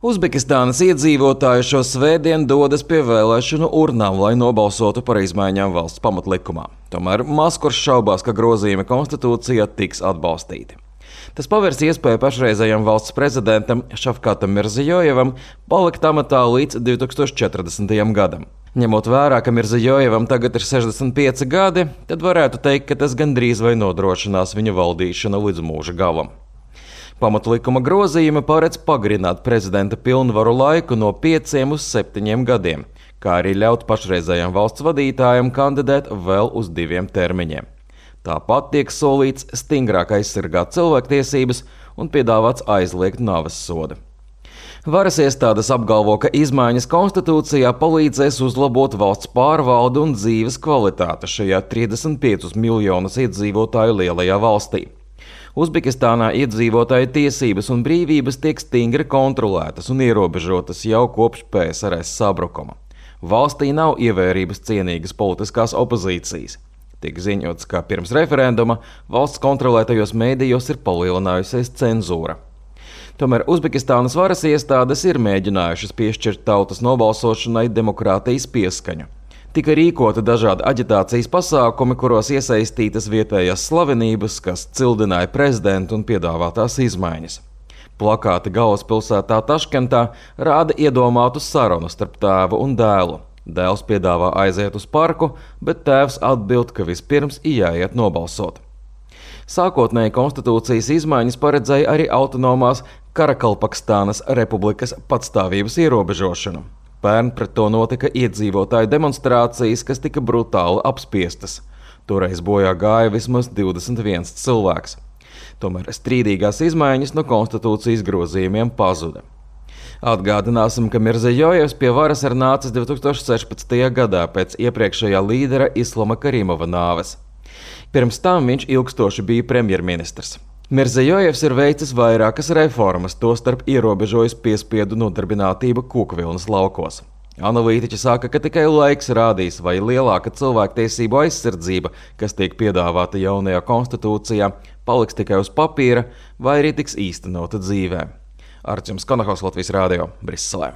Uzbekistānas iedzīvotāji šo svētdienu dodas pie vēlēšanu urnām, lai nobalsotu par izmaiņām valsts pamatlikumā. Tomēr Maskurs šaubās, ka grozījumi konstitūcijā tiks atbalstīti. Tas pavērs iespēju pašreizējam valsts prezidentam Šafkatam Mirzijojevam palikt amatā līdz 2040. gadam. Ņemot vērā, ka Mirzijojevam tagad ir 65 gadi, tad varētu teikt, ka tas gandrīz vai nodrošinās viņa valdīšanu līdz mūža galam. Pamatlikuma grozījumi paredz pagarināt prezidenta pilnvaru laiku no 5 uz 7 gadiem, kā arī ļaut pašreizējam valsts vadītājam kandidēt vēl uz 2 termiņiem. Tāpat tiek solīts stingrāk aizsargāt cilvēktiesības un piedāvāts aizliegt nāves sodu. Varas iestādes apgalvo, ka izmaiņas konstitūcijā palīdzēs uzlabot valsts pārvaldu un dzīves kvalitāti šajā 35 miljonus iedzīvotāju lielajā valstī. Uzbekistānā iedzīvotāju tiesības un brīvības tiek stingri kontrolētas un ierobežotas jau kopš PSRS sabrukuma. Valstī nav ievērības cienīgas politiskās opozīcijas. Tiek ziņots, ka pirms referenduma valsts kontrolētajos mēdījos ir palielinājusies cenzūra. Tomēr Uzbekistānas varas iestādes ir mēģinājušas piešķirt tautas nobalsošanai demokrātijas pieskaņu. Tika rīkoti dažādi aģitācijas pasākumi, kuros iesaistītas vietējās slavenības, kas cildināja prezidentu un piedāvātās izmaiņas. Plakāti galvaspilsētā Taškentā rāda iedomātu sarunu starp tēvu un dēlu. Dēls piedāvā aiziet uz parku, bet tēvs atbild, ka vispirms jāiet nobalsot. Sākotnēji konstitūcijas izmaiņas paredzēja arī autonomās Karakalpakstānas republikas patstāvības ierobežošanu. Pērn pret to notika iedzīvotāju demonstrācijas, kas tika brutāli apspiestas. Toreiz bojā gāja vismaz 21 cilvēks. Tomēr strīdīgās izmaiņas no konstitūcijas grozījumiem pazuda. Atgādināsim, ka Mirzijojevs pie varas ir nācis 2016. gadā pēc iepriekšējā līdera Islama Karimova nāves. Pirms tam viņš ilgstoši bija premjerministrs. Mirzijojevs ir veicis vairākas reformas, tostarp ierobežojis piespiedu nodarbinātību kokvilnas laukos. Analītiķi saka, ka tikai laiks rādīs, vai lielāka cilvēktiesību aizsardzība, kas tiek piedāvāta jaunajā konstitūcijā, paliks tikai uz papīra, vai arī tiks īstenota dzīvē. Artjums Konahaus, Latvijas Rādio, Briselē.